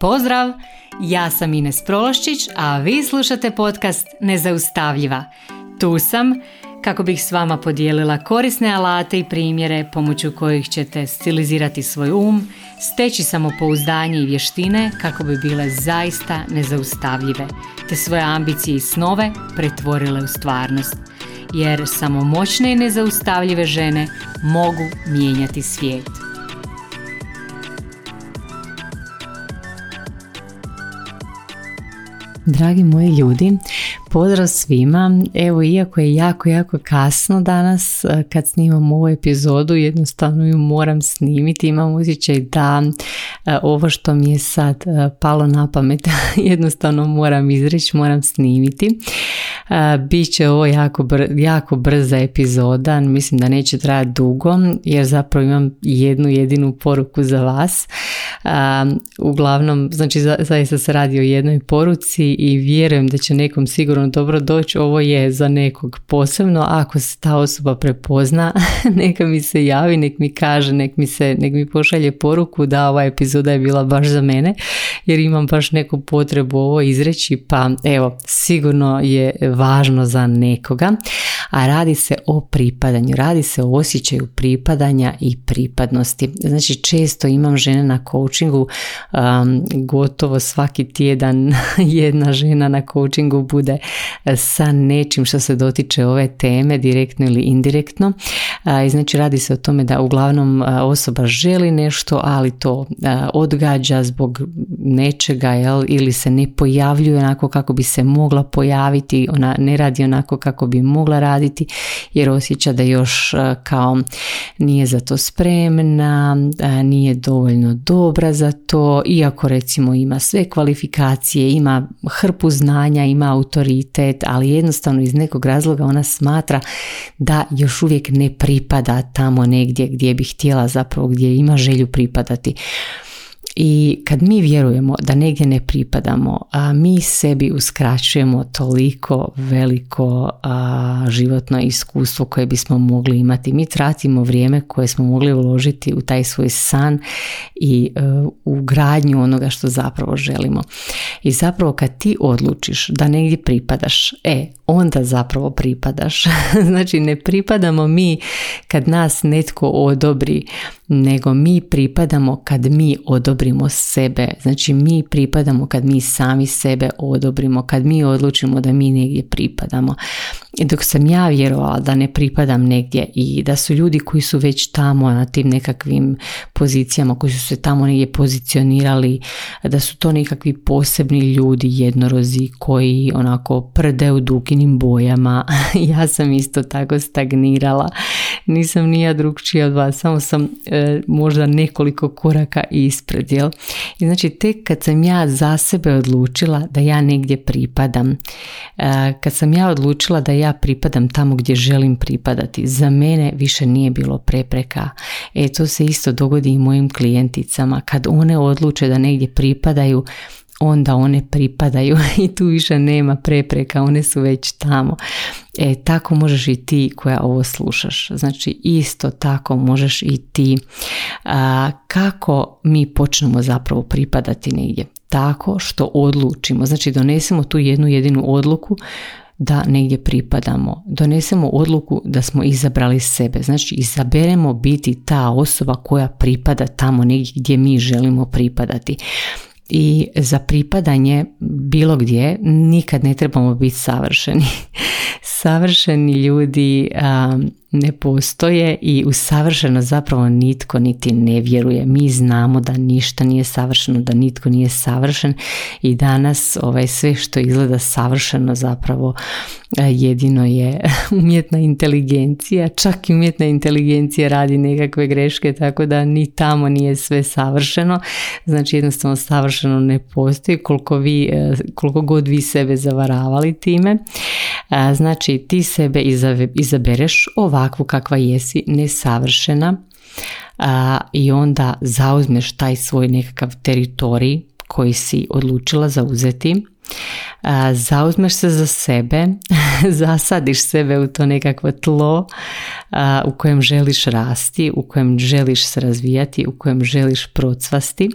Pozdrav! Ja sam Ines Prološčić, a vi slušate podcast Nezaustavljiva. Tu sam kako bih s vama podijelila korisne alate i primjere pomoću kojih ćete stilizirati svoj steći samopouzdanje i vještine kako bi bile zaista nezaustavljive, te svoje ambicije i snove pretvorile u stvarnost. Jer samo moćne i nezaustavljive žene mogu mijenjati svijet. Dragi moji ljudi, pozdrav svima. Evo, iako je jako kasno danas kad snimam ovu epizodu, jednostavno ju moram snimiti. Imam osjećaj da ovo što mi je sad palo na pamet jednostavno moram izreći, moram snimiti. Biće ovo jako brza epizoda, mislim da neće trajati dugo jer zapravo imam jednu jedinu poruku za vas. Uglavnom, znači zaista se radi o jednoj poruci i vjerujem da će nekom sigurno dobro doći. Ovo je za nekog posebno, ako se ta osoba prepozna neka mi se javi, nek mi kaže, nek mi pošalje poruku da ova epizoda je bila baš za mene jer imam baš neku potrebu ovo izreći, pa evo, sigurno je važno za nekoga. A radi se o pripadanju, radi se o osjećaju pripadanja i pripadnosti. Znači, često imam žene na coachingu, gotovo svaki tjedan jedna žena na coachingu bude sa nečim što se dotiče ove teme, direktno ili indirektno. I znači, radi se o tome da uglavnom osoba želi nešto, ali to odgađa zbog nečega, ili se ne pojavljuje onako kako bi se mogla pojaviti, ona ne radi onako kako bi mogla raditi jer osjeća da još kao nije za to spremna, nije dovoljno dobra za to, iako recimo ima sve kvalifikacije, ima hrpu znanja, ima autoritet, ali jednostavno iz nekog razloga ona smatra da još uvijek ne pripada tamo negdje gdje bi htjela, zapravo gdje ima želju pripadati. I kad mi vjerujemo da negdje ne pripadamo, mi sebi uskraćujemo toliko veliko životno iskustvo koje bismo mogli imati. Mi tratimo vrijeme koje smo mogli uložiti u taj svoj san i u gradnju onoga što zapravo želimo. I zapravo kad ti odlučiš da negdje pripadaš, onda zapravo pripadaš. Znači, ne pripadamo mi kad nas netko odobri, nego mi pripadamo kad mi odobrimo sebe. Znači, mi pripadamo kad mi sami sebe odobrimo, kad mi odlučimo da mi negdje pripadamo. I dok sam ja vjerovala da ne pripadam negdje i da su ljudi koji su već tamo na tim nekakvim pozicijama, koji su se tamo negdje pozicionirali, da su to nekakvi posebni ljudi, jednorozi koji onako prde u duginim bojama, ja sam isto tako stagnirala. Nisam ni ja drugčija od vas, samo sam možda nekoliko koraka ispred, jel? I znači, tek kad sam ja za sebe odlučila da ja negdje pripadam, kad sam ja odlučila da ja pripadam tamo gdje želim pripadati, za mene više nije bilo prepreka. To se isto dogodi i mojim klijenticama. Kad one odluče da negdje pripadaju, onda one pripadaju i tu više nema prepreka, one su već tamo. Tako možeš i ti koja ovo slušaš. Znači, isto tako možeš i ti. Kako mi počnemo zapravo pripadati negdje? Tako što odlučimo. Znači, donesemo tu jednu jedinu odluku da negdje pripadamo. Donesemo odluku da smo izabrali sebe. Znači, izaberemo biti ta osoba koja pripada tamo negdje gdje mi želimo pripadati. I za pripadanje bilo gdje nikad ne trebamo biti savršeni. Savršeni ljudi ne postoje i u savršeno zapravo nitko niti ne vjeruje. Mi znamo da ništa nije savršeno, da nitko nije savršen i danas sve što izgleda savršeno zapravo jedino je umjetna inteligencija. Čak i umjetna inteligencija radi nekakve greške, tako da ni tamo nije sve savršeno. Znači, jednostavno savršeno ne postoji koliko god vi sebe zavaravali time. Znači, ti sebe izabereš ovakvu kakva jesi, nesavršena, i onda zauzmeš taj svoj nekakav teritorij koji si odlučila zauzeti. zauzmeš se za sebe, zasadiš sebe u to nekakvo tlo u kojem želiš rasti, u kojem želiš se razvijati, u kojem želiš procvasti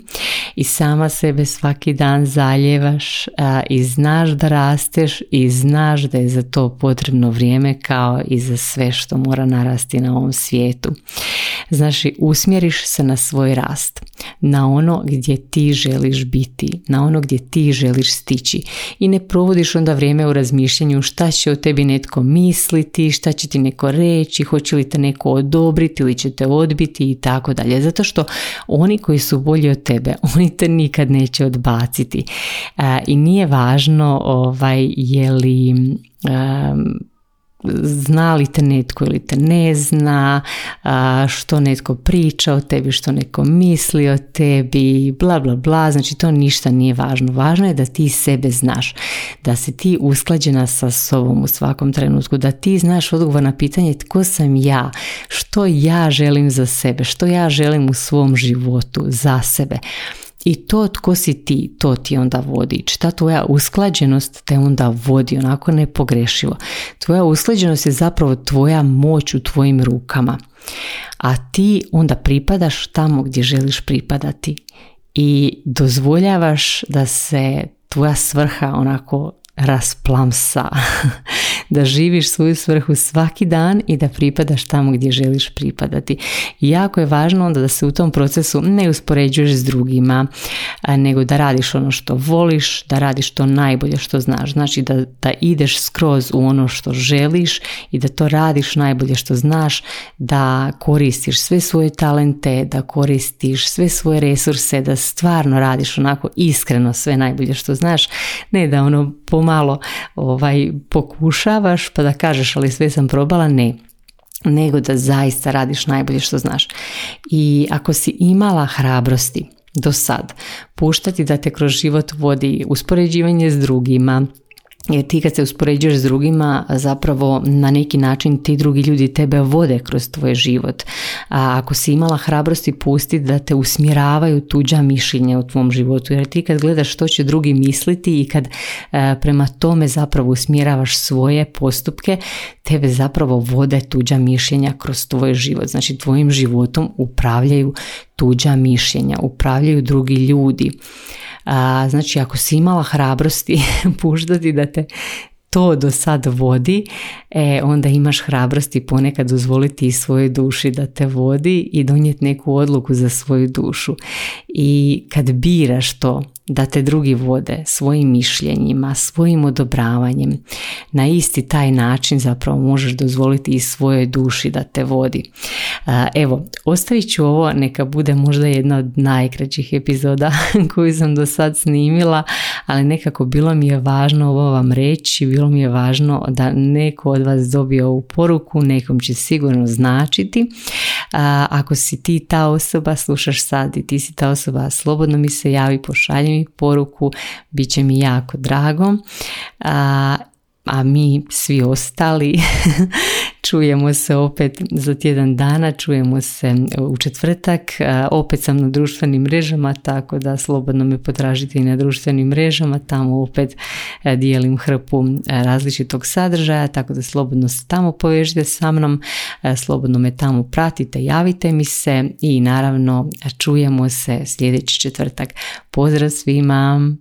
i sama sebe svaki dan zaljevaš i znaš da rasteš i znaš da je za to potrebno vrijeme kao i za sve što mora narasti na ovom svijetu. Znači, usmjeriš se na svoj rast, na ono gdje ti želiš biti, na ono gdje ti želiš stići i ne provodiš onda vrijeme u razmišljanju šta će o tebi netko misliti, šta će ti neko reći, hoće li te neko odobriti ili će te odbiti i tako dalje. Zato što oni koji su bolji od tebe, oni te nikad neće odbaciti. I nije važno je li zna li te netko ili te ne zna, što netko priča o tebi, što neko misli o tebi, bla bla bla, znači to ništa nije važno. Važno je da ti sebe znaš, da si ti usklađena sa sobom u svakom trenutku, da ti znaš odgovor na pitanje tko sam ja, što ja želim za sebe, što ja želim u svom životu za sebe. I to tko si ti, to ti onda vodi. Ta tvoja usklađenost te onda vodi onako nepogrešivo. Tvoja usklađenost je zapravo tvoja moć u tvojim rukama. A ti onda pripadaš tamo gdje želiš pripadati. I dozvoljavaš da se tvoja svrha onako rasplamsa. Da živiš svoju svrhu svaki dan i da pripadaš tamo gdje želiš pripadati. I jako je važno onda da se u tom procesu ne uspoređuješ s drugima, nego da radiš ono što voliš, da radiš to najbolje što znaš. Znači da ideš skroz u ono što želiš i da to radiš najbolje što znaš, da koristiš sve svoje talente, da koristiš sve svoje resurse, da stvarno radiš onako iskreno sve najbolje što znaš, ne da ono pomalo pokušavaš pa da kažeš ali sve sam probala, ne, nego da zaista radiš najbolje što znaš. I ako si imala hrabrosti do sad puštati da te kroz život vodi uspoređivanje s drugima, jer ti kad se uspoređuješ s drugima zapravo na neki način ti drugi ljudi tebe vode kroz tvoj život. A ako si imala hrabrosti pustiti da te usmjeravaju tuđa mišljenja u tvom životu, jer ti kad gledaš što će drugi misliti i kad prema tome zapravo usmjeravaš svoje postupke, tebe zapravo vode tuđa mišljenja kroz tvoj život. Znači tvojim životom upravljaju tuđa mišljenja, upravljaju drugi ljudi. Znači ako si imala hrabrosti puštati da te to do sad vodi, onda imaš hrabrosti ponekad dozvoliti i svojoj duši da te vodi i donijeti neku odluku za svoju dušu. I kad biraš to da te drugi vode svojim mišljenjima, svojim odobravanjem, na isti taj način zapravo možeš dozvoliti i svojoj duši da te vodi. Evo, ostavit ću ovo, neka bude možda jedna od najkraćih epizoda koju sam do sad snimila, ali nekako bilo mi je važno ovo vam reći, bilo mi je važno da neko od vas dobije ovu poruku, nekom će sigurno značiti. Ako si ti ta osoba, slušaš sad i ti si ta osoba, slobodno mi se javi, pošalji mi poruku, bit će mi jako drago. A mi svi ostali čujemo se opet za tjedan dana, čujemo se u četvrtak, opet sam na društvenim mrežama, tako da slobodno me potražite i na društvenim mrežama, tamo opet dijelim hrpu različitog sadržaja, tako da slobodno se tamo povežite sa mnom, slobodno me tamo pratite, javite mi se i naravno čujemo se sljedeći četvrtak. Pozdrav svima!